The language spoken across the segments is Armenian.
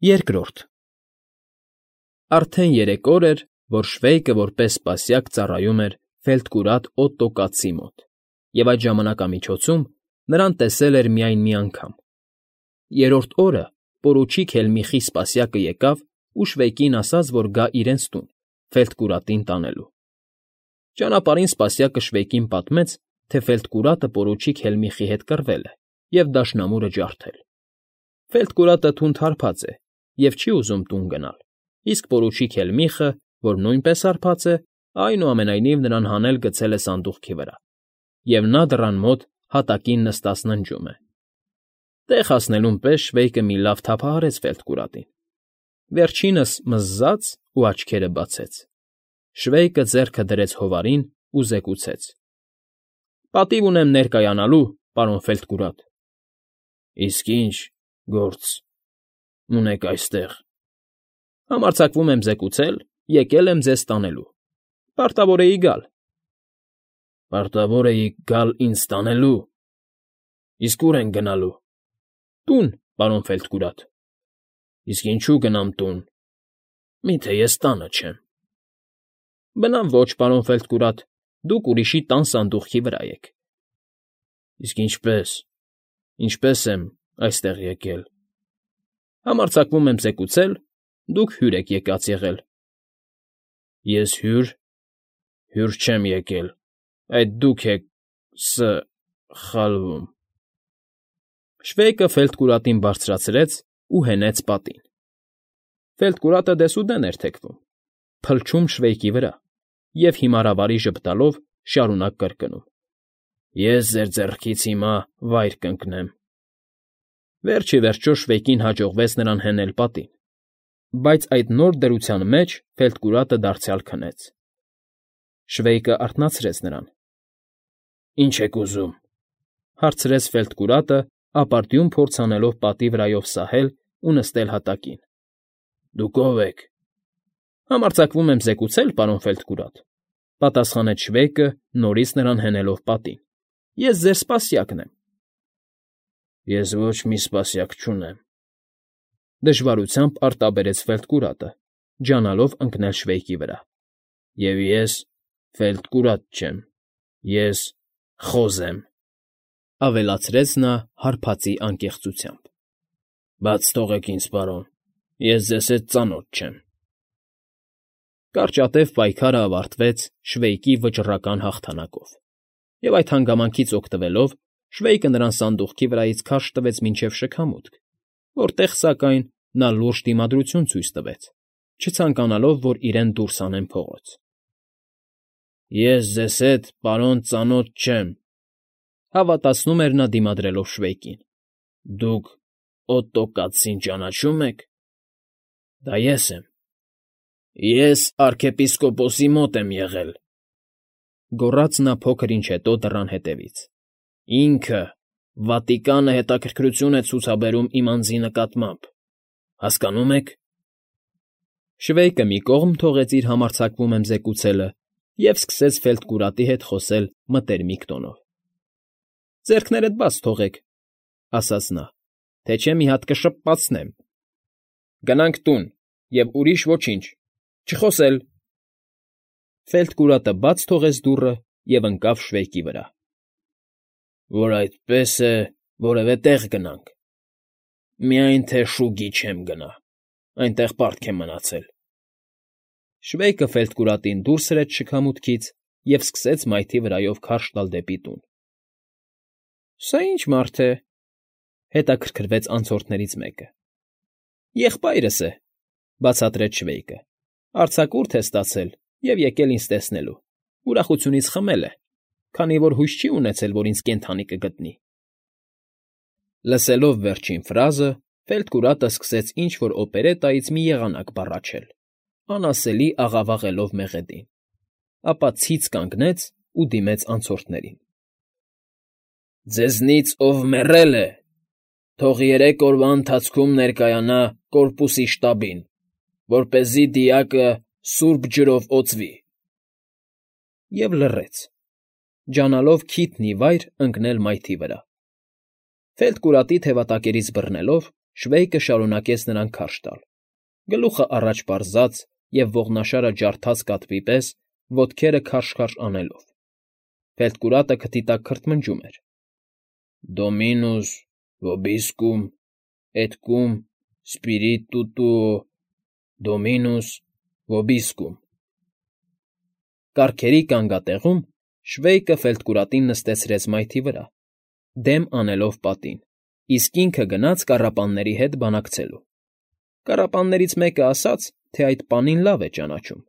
Երկրորդ Արդեն 3 օր էր, որ Շվեյկը որպես սպասյակ ծառայում էր ֆելդկուրատ Օտտո կացի մոտ, և այդ ժամանակամիջոցում նրան տեսել էր միայն մի անգամ։ 3-րդ օրը պորուչիկ Հելմիխի սպասյակը եկավ ու Շվեյկին ասաց, որ գա իրենց տուն, ֆելդկուրատին տանելու։ Ճանապարհին սպասյակը Շվեյկին պատմեց, թե ֆելդկուրատը պորուչիկ Հելմիխի հետ կռվել է և դաշնամուրը ջարդել։ Ֆելդկուրատը թունդ հարբած է և չի ուզում տուն գնալ, իսկ պորուչիկ Հելմիխը, որ նույնպես հարբած է, այնուամենայնիվ նրան հանել գցել է սանդուղքի վրա, և նա դռան մոտ հատակին նստած ննջում է։ Տեղ հասնելուն պես Շվեյկը մի լավ թափահարեց ֆելդկուրատին։ Վերջինս մզզաց ու աչքերը բացեց։ Շվեյկը ձեռքը դրեց հովարին ու զեկուցեց. «Պատիվ ունեմ ներկայանալու, պարոն Ֆելդկուրատ»։ «Իսկ ի՞նչ գործ ունեք այստեղ»։ «Համարձակվում եմ զեկուցել, եկել եմ ձեզ տանելու։ Պարտավոր էի գալ»։ «Պարտավոր էիք գալ ինձ տանելու։ Իսկ ո՞ւր ենք գնալու»։ «Տուն, պարոն Ֆելդկուրատ»։ «Իսկ ինչո՞ւ գնամ տուն, միթե ես տանը չեմ»։ «Բնավ ոչ, պարոն Ֆելդկուրատ, դուք ուրիշի տան սանդուղքի վրա եք»։ «Իսկ ինչպես եմ այստեղ եկել»։ «Համարձակվում եմ զեկուցել, դուք հյուր եք եկած եղել»։ «Ես հյուր չեմ եկել, այդ դուք եք խալվում»։ Շվեյկը Ֆելդկուրատին բարձրացրեց ու հենեց պատին։ Ֆելդկուրատը դեսուդեն էր թեքվում, փլչում Շվեյկի վրա և հիմարավարի ժպտալով շարունակ կրկնում. «Ես ձեր ձեռքից հիմա վայր կընկնեմ»։ Վերջ ի վերջո Շվեյկին հաջողվեց նրան հենել պատին, բայց այդ նոր դրության մեջ Ֆելդկուրատը դարձյալ քնեց։ Շվեյկը արթնացրեց նրան։ «Ի՞նչ եք ուզում»։ Հարցրեց Ֆելդկուրատը, ապարդյուն փորձ անելով պատի վրայով սահել ու նստել հատակին։ «Դուք ո՞վ եք»։ «Համարձակվում եմ զեկուցել, պարոն Ֆելդկուրատ», պատասխանեց Շվեյկը, նորից նրան հենելով պատին։ «Ես ձեր սպասյակն եմ»։ «Ես ոչ մի սպասյակ չունեմ», դժվարությամբ արտաբերեց Ֆելդկուրատը, ջանալով ընկնել Շվեյկի վրա։ «Եվ ես Ֆելդկուրատ չեմ, ես խոզ եմ», ավելացրեց նա հարբածի անկեղծությամբ։ «Բաց թողեք ինձ, պարոն, ես ձեզ հետ ծանոթ չեմ»։ Կարճատև պայքարը ավարտվեց Շվեյկի վճռական հաղթանակով, և այդ հանգամանքից օգտվելով Շվեյկը նրան սանդուղքի վրայից քարշ տվեց մինչև շքամուտք, որտեղ, սակայն, նա լուրջ դիմադրություն ցույց տվեց, չցանկանալով, որ իրեն դուրս անեն փողոց։ «Ես ձեզ հետ, պարոն, ծանոթ չեմ», հավատացնում էր նա դիմադրելով Շվեյկին։ «Դուք Օտտո կացին ճանաչո՞ւմ եք»։ «Դա ես եմ։ Ես արքեպիսկոպոսի մոտ եմ եղել», գոռաց նա փոքր ինչ հետո դռան հետևից։ «Ինքը Վատիկանը հետաքրքրություն է ցուցաբերում իմ անձի նկատմամբ, հասկանո՞ւմ եք»։ Շվեյկը մի կողմ թողեց իր համարձակվում եմ զեկուցելը և սկսեց Ֆելդկուրատի հետ խոսել մտերմիկ տոնով։ «Ձեռքներդ բաց թողեք», ասաց նա, «թե չէ մի հատ կշպպացնեմ։ Գնանք տուն, և ուրիշ ոչինչ, չխոսել»։ Ֆելդկուրատը բաց թողեց դուռը և ընկավ Շվեյկի վրա։ «Որ այդպես է, որևէ տեղ գնանք։ Միայն թե շուգի չեմ գնա, այնտեղ պարտք է մնացել»։ Շվեյկը Ֆելդկուրատին դուրս հրեց շքամուտքից և սկսեց մայթի վրայով քարշ տալ դեպի տուն։ «Սա ի՞նչ մարդ է», հետաքրքրվեց անցորդներից մեկը։ «Եղբայրս է», բացատրեց Շվեյկը։ «Արձակուրդ է ստացել և եկել ինձ տեսնելու, ուրախությունից խմել է, քանի որ հույս չի ունեցել, որ ինձ կենդանի կգտնի»։ Լսելով վերջին ֆրազը, Ֆելդկուրատը սկսեց ինչ֊որ օպերետայից մի եղանակ բառաչել, անասելի աղավաղելով մեղեդին, ապա ցից կանգնեց ու դիմեց անցորդներին։ «Ձեզնից ով մեռել է, թող 3 օրվա ընթացքում ներկայանա կորպուսի շտաբին, որպեսզի դիակը սուրբ ջրով օծվի»։ Եվ լռեց, ջանալով քիթն ի վայր ընկնել մայթի վրա։ Ֆելդկուրատի թևատակերից բռնելով՝ Շվեյկը շարունակեց նրան քարշ տալ, գլուխը առաջ պարզած և ողնաշարը ջարդած կատվի պես ոտքերը քարշ֊քարշ անելով։ Ֆելտկուրատը քթի տակ քրթմնջում էր. «Դոմինուս վոբիսկում, էտ կում, սպիրիտու տուո, Դոմինուս վոբիսկում»։ Կառքերի կանգատեղում Շվեյկը Ֆելտկուրատին նստեցրեց մայթի վրա, դեմ անելով պատին, իսկ ինքը գնաց կառապանների հետ բանակցելու։ Կառապաններից մեկը ասաց, թե այդ պանին լավ է ճանաչում,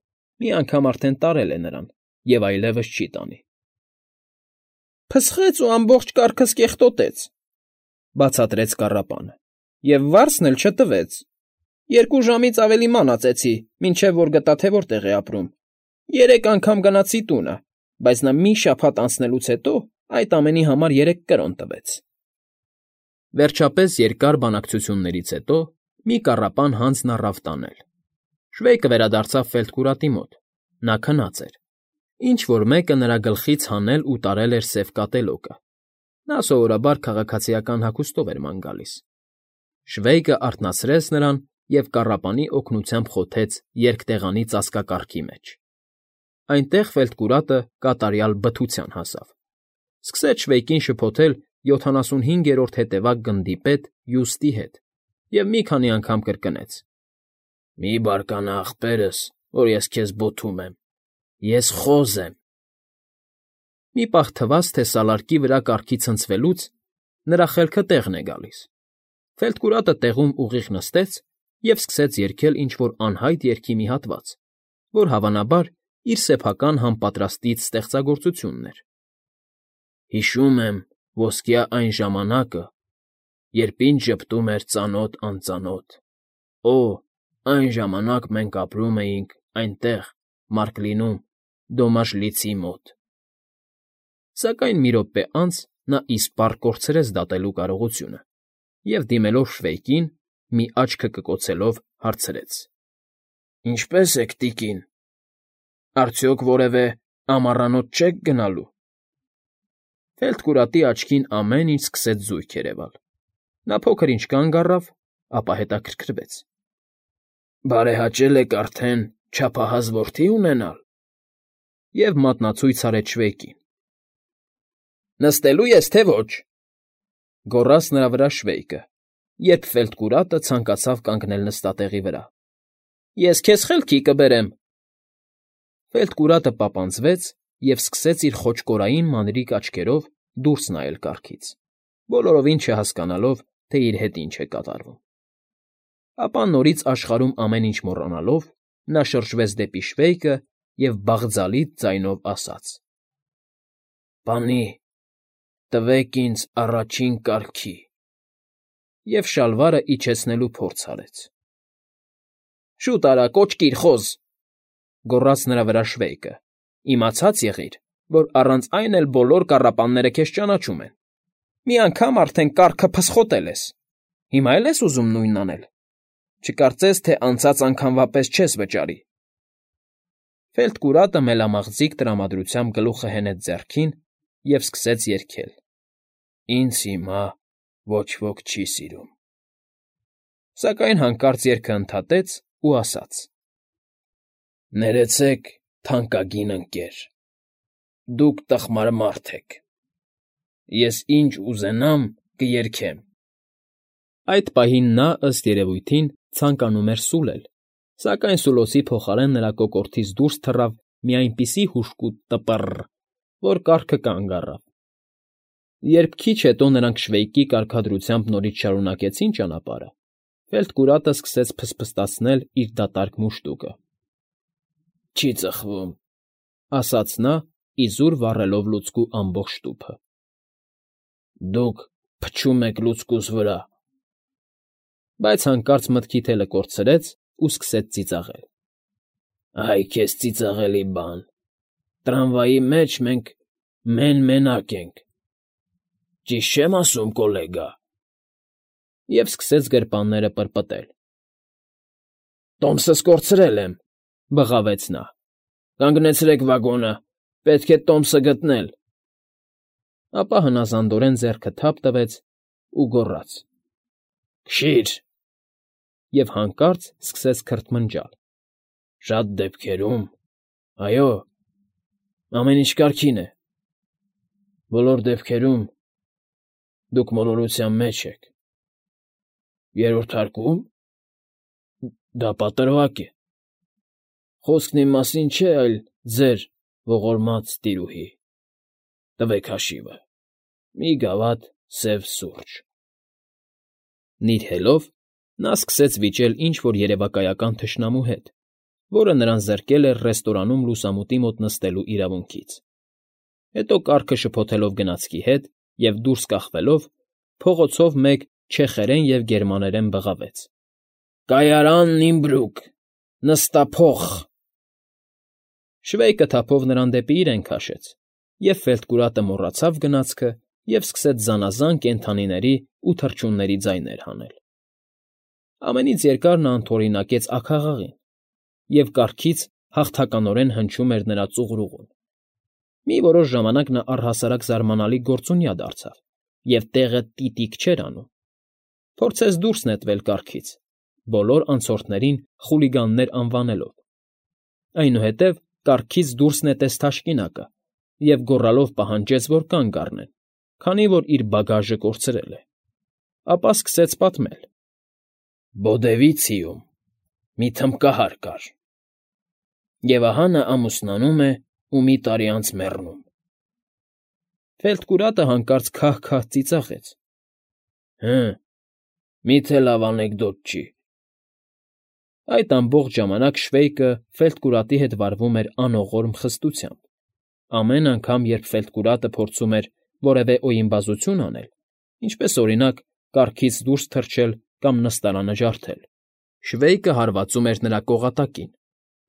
մի անգամ արդեն տարել է նրան և այլևս չի տանի։ «Փսխեց ու ամբողջ կառքս կեղտոտեց,֊ բացատրեց կառապանը,֊ և վարձն էլ չտվեց։ 2 ժամից ավելի ման ածեցի, մինչև որ գտա, թե որտեղ է ապրում։ 3 անգամ գնացի տունը, բայց նա մի շաբաթ անցնելուց հետո այդ ամենի համար 3 կրոն տվեց»։ Վերջապես երկար բանակցություններից հետո մի կառապան հանձն առավ տանել։ Շվեյկը վերադարձավ Ֆելտկուրատի մոտ. նա քնած էր։ Ինչ֊որ մեկը նրա գլխից հանել ու տարել էր սև կատելոկը։ Նա սովորաբար քաղաքացիական հագուստով էր ման գալիս։ Շվեյկը արթնացրեց նրան և կառապանի օգնությամբ խոթեց երկտեղանի ծածկակառքի մեջ։ Այնտեղ Ֆելտկուրատը կատարյալ բթության հասավ։ Սկսեց Շվեյկին շփոթել 75-րդ հետևակ գնդի պետ Յուստի հետ և մի քանի անգամ կրկնեց. «Մի բարկանա, ախպերս, որ ես քեզ բոթում եմ, ես խոզ եմ»։ Մի պահ թվաց, թե սալարկի վրա կառքի ցնցվելուց նրա խելքը տեղն է գալիս։ Ֆելտկուրատը տեղում ուղիղ նստեց և սկսեց երգել ինչ֊որ անհայտ երգի մի հատված, որ հավանաբար իր սեփական համապատրաստից ստեղծագործությունն էր. Հիշում եմ ոսկյա այն ժամանակը, երբ ինձ ժպտում էր ծանոթ֊անծանոթ. Օ, այն ժամանակ մենք ապրում էինք այնտեղ, Մարկլինում, Դոմաշլիցի մոտ… Սակայն մի րոպե անց նա իսպառ կորցրեց դատելու կարողությունը և, դիմելով Շվեյկին, մի աչքը կկոցելով հարցրեց. «Ինչպե՞ս եք, տիկին… Արդյոք որևէ ամառանոց չե՞ք գնալու»։ Ֆելտկուրատի աչքին ամեն ինչ սկսեց զույգ երևալ։ Նա փոքր֊ինչ կանգ առավ, ապա հետաքրքրվեց. «Բարեհաճել եք արդեն չափահաս որդի ունենալ» և մատնացույց արեց Շվեյկին։ «Նստելո՞ւ ես, թե ոչ»։ գոռաց նրա վրա Շվեյկը, երբ Ֆելտկուրատը ցանկացավ կանգնել նստատեղի վրա։ «Ես քեզ խելքի կբերեմ»։ Ֆելտկուրատը պապանձվեց և սկսեց իր խոճկորային մանրիկ աչքերով դուրս նայել կառքից, բոլորովին չհասկանալով, թե իր հետ ինչ է կատարվում։ Ապա նորից աշխարհում ամեն ինչ մոռանալով՝ նա շրջվեց դեպի Շվեյկը և բաղձալից ձայնով ասաց. «Պանի, տվեք ինձ առաջին կարգի» և շալվարը իջեցնելու փորձ արեց։ «Շուտ արա, կոճկիր, խոզ», գոռաց նրա վրա Շվեյկը, իմացած եղիր, որ առանց այն էլ բոլոր կառապանները քեզ ճանաչում են։ Մի անգամ արդեն կառքը փսխոտել ես, հիմա էլ ես ուզում նույնն անել։ Չկարծես, թե անցած անգամվա պես չես վճարի։ Ֆելտկուրատը մելամաղձիկ տրամադրությամբ գլուխը հենեց ձեռքին և սկսեց երգել. «Ինձ հիմա ոչ ոք չի սիրում»։ Սակայն հանկարծ երգը ընդհատեց ու ասաց. «Ներեցեք, թանկագին ընկեր, դուք տխմար մարդ եք, ես ինչ ուզենամ, կերգեմ»։ Այդ պահին նա, ըստ երևույթին, ցանկանում էր սուլել, սակայն սուլոսի փոխարեն նրա կոկորդից դուրս թռավ մի այնպիսի հուժկուտ տպռ, որ կառքը կանգ առավ։ Երբ քիչ հետո նրանք Շվեյկի կարգադրությամբ նորից շարունակեցին ճանապարհը, Ֆելտկուրատը սկսեց ֆսֆստացնել իր դատարկ մուշտուկը։ «Չի ծխվում», ֊ ասաց նա, իզուր վառելով լուցկու ամբողջ տուփը։ «Դուք փչում եք լուցկուս վրա»։ Բայց հանկարծ մտքի թելը կորցրեց ու սկսեց ծիծաղել։ «Այ քեզ ծիծաղելի բան… Տրամվայի մեջ մենք մեն֊մենակ ենք… Ճիշտ չե՞մ ասում, կոլեգա»։ Եվ սկսեց գրպանները պրպտել։ «Տոմսս կորցրել եմ», ֊ բղավեց նա։ «Կանգնեցրեք վագոնը, պետք է տոմսը գտնել»։ Ապա հնազանդորեն ձեռքը թափ տվեց ու գոռաց. Քշի՛ր։ Եվ հանկարծ սկսեց քրթմնջալ։ Շատ դեպքերում, այո, ամեն ինչ կարգին է։ Բոլոր դեպքերում դուք մոլորության մեջ եք։ Երրորդ հարկում դա պատրվակ է։ Խոսքն իմ մասին չէ, այլ ձեր ողորմած տիրուհի։ Տվեք հաշիվը. մի գավաթ սև սուրճ։ Նիրհելով՝ նա սկսեց վիճել ինչ֊որ երևակայական թշնամու հետ, որը նրան զրկել էր ռեստորանում լուսամուտի մոտ նստելու իրավունքից։ Հետո կառքը շփոթելով գնացքի հետ և դուրս կախվելով, փողոցով մեկ չեխերեն և գերմաներեն բղավեց. Կայարան Նիմբրուկ, նստափող։ Շվեյկը թափով նրան դեպի իրեն քաշեց, և ֆելտկուրատը մոռացավ գնացքը և սկսեց զանազան կենդանիների ու թռչունների ձայներ հանել։ Ամենից երկար նա ընդօրինակեց աքաղաղին, և կառքից հաղթականորեն հնչում էր նրա ծուղրուղուն։ Մի որոշ ժամանակ նա առհասարակ զարմանալի գործունյա դարձավ և տեղը տիտիկ չէր անում։ Փորձեց դուրս նետվել կառքից, բոլոր անցորդներին խուլիգաններ անվանելով։ Այնուհետև կառքից դուրս նետեց թաշկինակը և գոռալով պահանջեց, որ կանգ առնեն, քանի որ իր բագաժը կորցրել է։ Ապա սկսեց պատմել. Բոդևիցիում մի թմբկահար կար, և ահա նա ամուսնանում է ու մի տարի անց մեռնում։ Ֆելտկուրատը հանկարծ քահ֊քահ ծիծաղեց. Հը, մի՞թե լավ անեկդոտ չի։ Այդ ամբողջ ժամանակ Շվեյկը Ֆելտկուրատի հետ վարվում էր անողորմ խստությամբ։ Ամեն անգամ, երբ Ֆելտկուրատը փորձում էր որևէ օյիմբազություն անել, ինչպես, օրինակ, կառքից դուրս թռչել կամ նստարանը ջարդել, Շվեյկը հարվածում էր նրա կողատակին,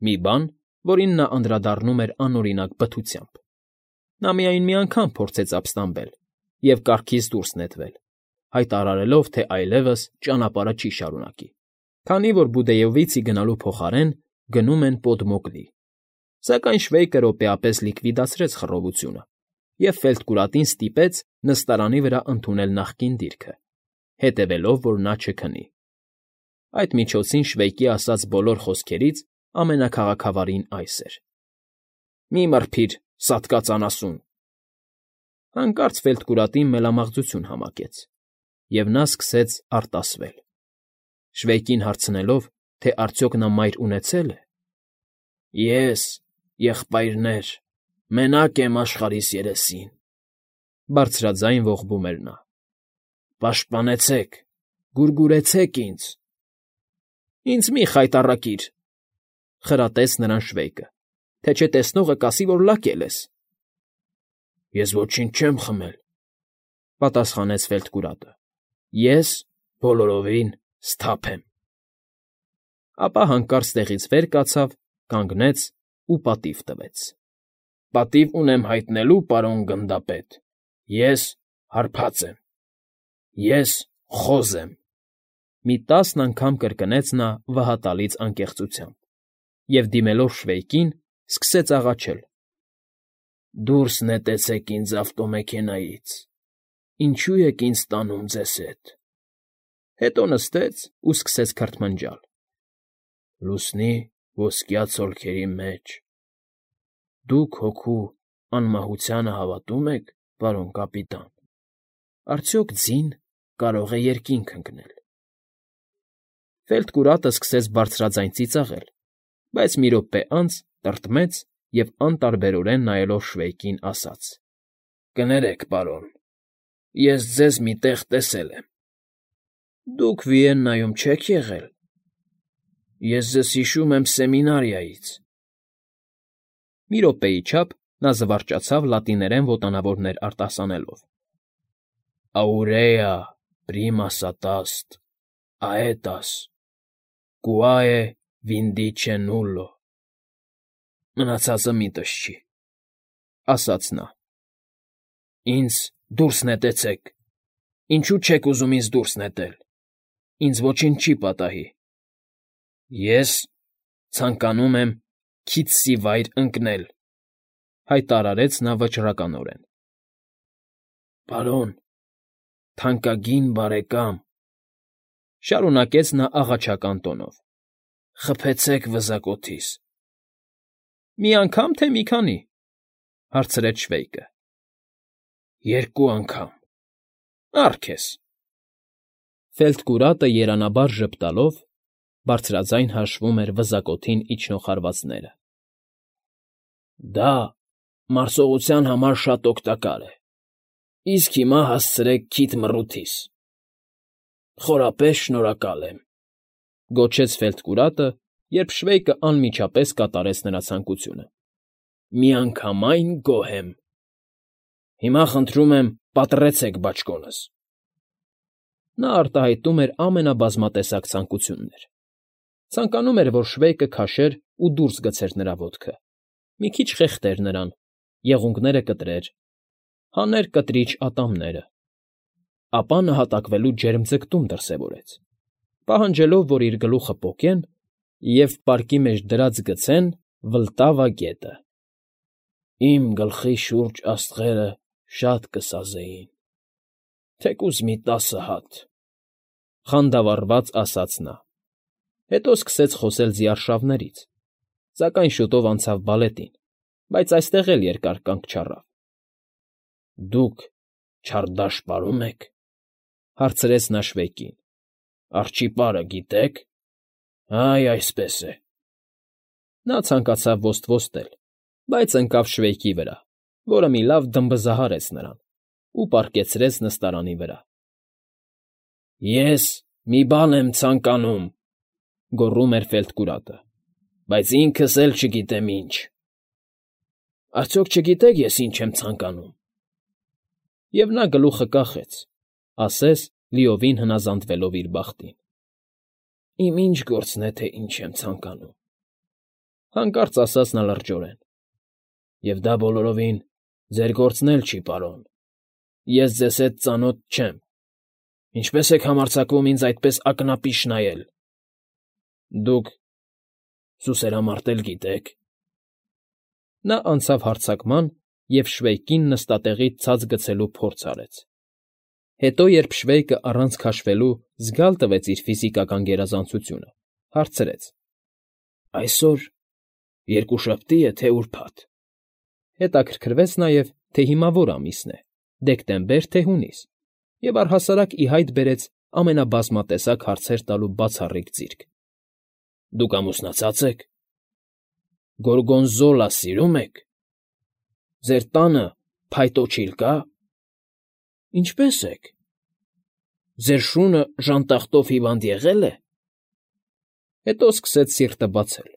մի բան, որին նա անդրադառնում էր անօրինակ բթությամբ։ Նա միայն մի անգամ փորձեց ապստամբել և կառքից դուրս նետվել, հայտարարելով, թե այլևս ճանապարհը չի շարունակի, քանի որ Բուդեովիցի գնալու փոխարեն գնում են Պոդմոգլի։ Սակայն Շվեյկը րոպեապես լիկվիդացրեց խռովությունը և Ֆելտկուրատին ստիպեց նստարանի վրա ընդունել նախկին դիրքը, հետևելով, որ նա չքնի։ Այդ միջոցին Շվեյկի ասած բոլոր խոսքերից ամենաքաղաքավարին այս էր. «Մի մռփիր, սատկած անասուն»։ Հանկարծ Ֆելտկուրատին մելամաղձություն համակեց, և նա սկսեց արտասվել։ Շվեյկին հարցնելով, թե արդյոք նա մայր ունեցե՞լ է։ Ես, եղբայրներ, մենակ եմ աշխարհիս երեսին, բարձրաձայն ողբում էր նա։ Պաշտպանեցեք, գուրգուրեցեք ինձ։ Ինձ մի խայտառակիր, խրատեց նրան Շվեյկը, թե չէ տեսնողը կասի, որ լակել ես։ Ես ոչինչ չեմ խմել, պատասխանեց Ֆելտկուրատը։ Ես բոլորովին սթափ եմ։ Ապա հանկարծ տեղից վեր կացավ, կանգնեց ու պատիվ տվեց. Պատիվ ունեմ հայտնելու, պարոն գնդապետ, ես հարբած եմ, ես խոզ եմ։ Մի 10 անգամ կրկնեց նա վհատալից անկեղծությամբ և, դիմելով Շվեյկին, սկսեց աղաչել. Դուրս նետեցեք ինձ ավտոմեքենայից, ինչու եք ինձ տանում ձեզ հետ։ Հետո նստեց ու սկսեց քրթմնջալ. Լուսնի ոսկյա ցոլքերի մեջ։ Դուք հոգու անմահությանը հավատո՞ւմ եք, պարոն կապիտան։ Արդյոք ձին կարող է երկինք ընկնել։ Ֆելտկուրատը սկսեց բարձրաձայն ծիծաղել, բայց մի րոպե անց տրտմեց և անտարբերորեն նայելով Շվեյկին ասաց. Կներեք, պարոն, ես ձեզ մի տեղ տեսել եմ։ Դուք Վիեննայում չե՞ք եղել։ Ես ձեզ հիշում եմ սեմինարիայից։ Մի րոպեի չափ նա զվարճացավ լատիներեն ոտանավորներ արտասանելով. Aurea prima satast, aetas, quae vindice nullo։ Մնացածը միտս չի, ասաց նա։ Ինձ դուրս նետեցեք։ Ինչու չեք ուզում ինձ դուրս նետել։ Ինձ ոչինչ չի պատահի։ Ես ցանկանում եմ քիթսի վայր ընկնել, հայտարարեց նա վճռականորեն։ Պարոն, թանկագին բարեկամ, Շարունակեց նա աղաչական տոնով։ Խփեցեք վզակոթիս։ Մի անգամ, թե մի քանի, հարցրեց Շվեյկը։ Երկու անգամ։ Առ քեզ։ Ֆելդկուրատը երանաբար ժպտալով բարձրաձայն հաշվում էր վզակոթին իջնող հարվածները։ Դա մարսողության համար շատ օգտակար է։ Իսկ հիմա հասցրեք քիթ մռութիս։ Խորապես շնորհակալ եմ, գոչեց Ֆելդկուրատը, երբ Շվեյկը անմիջապես կատարեց նրա ցանկությունը։ Միանգամայն գոհ եմ։ Հիմա խնդրում եմ, պատռեցեք բաճկոնս։ Նա արտահայտում էր ամենաբազմատեսակ ցանկություններ։ Ցանկանում էր, որ Շվեյկը քաշեր ու դուրս գցեր նրա ոտքը, մի քիչ խեղդեր նրան, եղունգները կտրեր, հաներ կտրիչ ատամները, ապա նահատակվելու ջերմ ձգտում դրսևորեց, պահանջելով, որ իր գլուխը պոկեն և պարկի մեջ դրած գցեն Վլտավա գետը։ Իմ գլխի շուրջ աստղերը շատ կսազեին, թեկուզ մի 10 հատ, խանդավառված ասաց նա։ Հետո սկսեց խոսել ձիարշավներից, սակայն շուտով անցավ բալետին, բայց այստեղ էլ երկար կանգ չառավ։ Դուք չարդաշ֊պարում եք, հարցրեց նա Շվեյկին։ Արջի պարը գիտեք։ Այ, այսպես է։ Նա ցանկացավ ոստվոստել, բայց ընկավ Շվեյկի վրա, որը մի լավ դմբզահարեց նրան ու պառկեցրեց նստարանի վրա։ Ես մի բան եմ ցանկանում, գոռում էր Ֆելդկուրատը, բայց ինքս էլ չգիտեմ ինչ։ Արդյոք չգիտեք ես ինչ եմ ցանկանում։ Եվ նա գլուխը կախեց, ասես լիովին հնազանդվելով իր բախտին։ Իմ ինչ գործն է, թե ինչ եմ ցանկանում։ Հանկարծ ասաց նա լրջորեն։ Եվ դա բոլորովին ձեր գործն էլ չի, պարոն։ Ես ձեզ հետ ծանոթ չեմ։ Ինչպե՞ս եք համարձակվում ինձ այդպես ակնապիշ նայել։ Դուք սուսերամարտել գիտեք։ Նա անցավ հարձակման և Շվեյկին նստատեղից ցած գցելու փորձ արեց։ Հետո, երբ Շվեյկը առանց քաշվելու զգալ տվեց իր ֆիզիկական գերազանցությունը, հարցրեց. Այսօր երկուշաբթի է, թե ուրբաթ։ Հետաքրքրվեց նաև, թե հիմա որ ամիսն է, դեկտեմբեր, թե հունիս, և առհասարակ ի հայտ բերեց ամենաբազմատեսակ հարցեր տալու բացառիկ ձիրք։ Դուք ամուսնացած եք։ Գորգոնզոլա սիրում եք։ Ձեր տանը փայտոջիլ կա։ Ինչպե՞ս եք։ Ձեր շունը ժանտախտով հիվանդ եղել է։ Հետո սկսեց սիրտը բացել։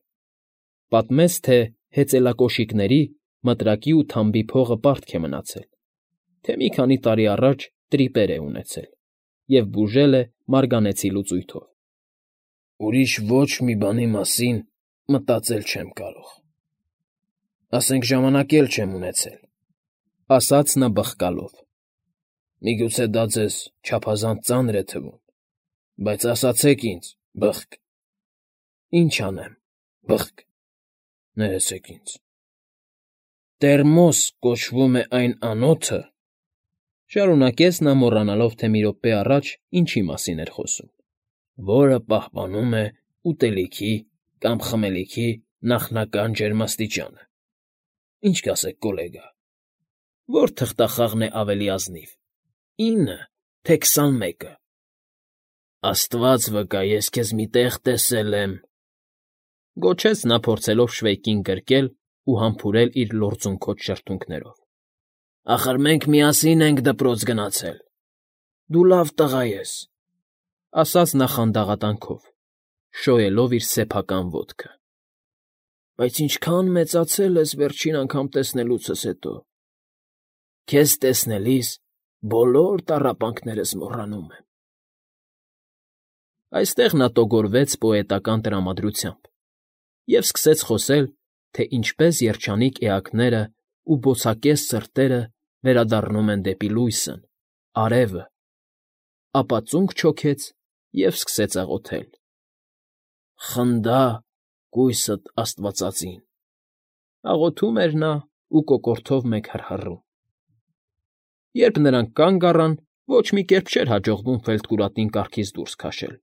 Պատմեց, թե հեծելակոշիկների, մտրակի ու թամբի փողը պարտք է մնացել, թե մի քանի տարի առաջ տրիպեր է ունեցել և բուժել է մարգանեցի լուծույթով։ Ուրիշ ոչ մի բանի մասին մտածել չեմ կարող։ Ասենք ժամանակ էլ չեմ ունեցել, ասաց նա բխկալով։ Միգուցե դա ձեզ չափազանց ծանր է թվում, բայց ասացեք ինձ, բխկ։ Ինչ անեմ, բխկ, ներեցեք ինձ։ Տերմոս կոչվում է այն անոթը, շարունակեց նա մոռանալով, թե մի րոպե առաջ ինչի մասին էր խոսում, որը պահպանում է ուտելիքի կամ խմելիքի նախնական ջերմաստիճանը։ Ինչ կասեք, կոլեգա, որ թղթախաղն է ավելի ազնիվ, 9, թե 21։ Աստված վկա, ես քեզ մի տեղ տեսել եմ, գոչեց նա փորձելով Շվեյկին գրկել ու համբուրել իր լորձունքոտ շրթունքներով։ Ախր մենք միասին ենք դպրոց գնացել։ Դու լավ տղա ես, ասաց նա խանդաղատանքով, շոյելով իր սեփական ոտքը։ Բայց ինչքան մեծացել ես վերջին անգամ տեսնելուցս հետո։ Քեզ տեսնելիս բոլոր տառապանքներս մոռանում եմ։ Այստեղ նա տոգորվեց պոետական տրամադրությամբ և սկսեց խոսել, թե ինչպես երջանիկ էակները ու բոցակես սրտերը վերադառնում են դեպի լույսն, արևը, ապա ծունկ չոքեց և սկսեց աղոթել. «Խնդա, կույսդ աստվածածին», աղոթում էր նա ու կոկորդով մեկ հռհռում։ Երբ նրանք կանգ առան, ոչ մի կերպ չէր հաջողվում Ֆելդկուրատին կառքից դուրս քաշել,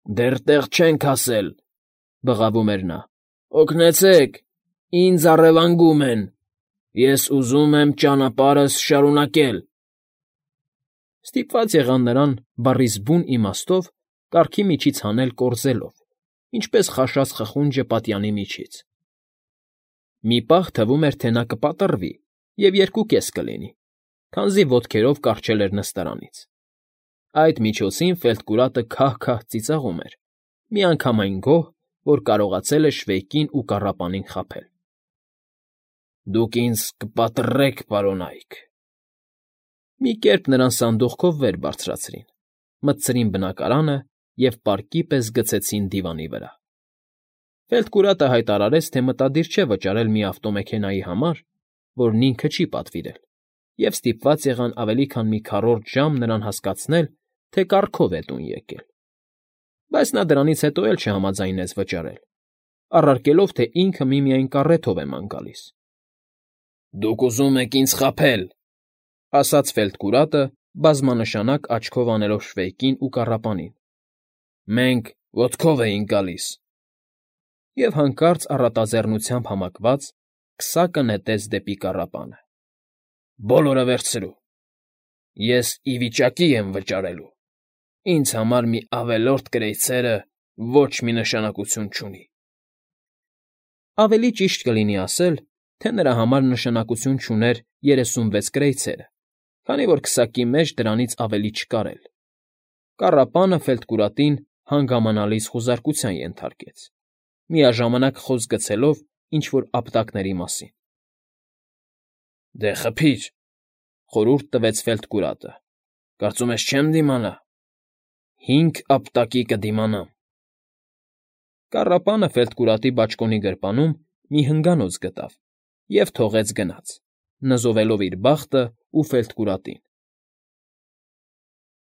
Դեռ տեղ չենք հասել,֊ բղավում էր նա։ Օգնեցեք, ինձ առևանգում են։ Ես ուզում եմ ճանապարհս շարունակել։ Ստիպված եղան նրան բառիս բուն իմաստով կառքի միջից հանել կորզելով, ինչպես խաշած խխունջը պատյանի միջից։ Մի պահ թվում էր, թե նա կպատռվի և երկու կես կլինի, քանզի ոտքերով կառչել էր նստարանից։ Այդ միջոցին ֆելտկուրատը քահ֊քահ ծիծաղում էր, միանգամայն գոհ, որ կարողացել է Շվեյկին ու կառապանին խաբել։ Դուք ինձ կպատռեք, պարոնայք։ Մի կերպ նրան սանդուղքով վեր բարձրացրին, մտցրին բնակարանը և պարկի պես գցեցին դիվանի վրա։ Ֆելտկուրատը հայտարարեց, թե մտադիր չէ վճարել մի ավտոմեքենայի համար, որն ինքը չի պատվիրել, և ստիպված եղան ավելի քան մի քառորդ ժամ նրան հասկացնել, թե կառքով է տուն եկել։ Բայց նա դրանից հետո էլ չհամաձայնեց վճարել, առարկելով, թե ինքը միմիայն կառեթով է ման գալիս։ Դուք ուզում եք ինձ խաբել,֊ ասաց Ֆելտկուրատը, բազմանշանակ աչքով անելով Շվեյկին ու կառապանին։ Մենք ոտքով էինք գալիս։ Եվ հանկարծ առատաձեռնությամբ համակված քսակը նետեց դեպի կառապանը։ Բոլորը վերցրու։ Ես ի վիճակի եմ վճարելու։ Ինձ համար մի ավելորդ կրեցերը ոչ մի նշանակություն չունի։ Ավելի ճիշտ կլինի ասել, թե նրա համար նշանակություն չուներ 36 կրեյցերը, քանի որ քսակի մեջ դրանից ավելի չկար էլ։ Կառապանը Ֆելտկուրատին հանգամանալից խուզարկության ենթարկեց, միաժամանակ խոսք գցելով ինչ֊որ ապտակների մասին։ Դե խփիր,֊ խորհուրդ տվեց Ֆելտկուրատը։ Կարծում ես չեմ դիմանա։ 5 ապտակի կդիմանամ։ Կառապանը Ֆելտկուրատի բաճկոնի գրպանում մի հնգանոց գտավ և թողեց գնաց, նզովելով իր բախտն ու Ֆելտկուրատին։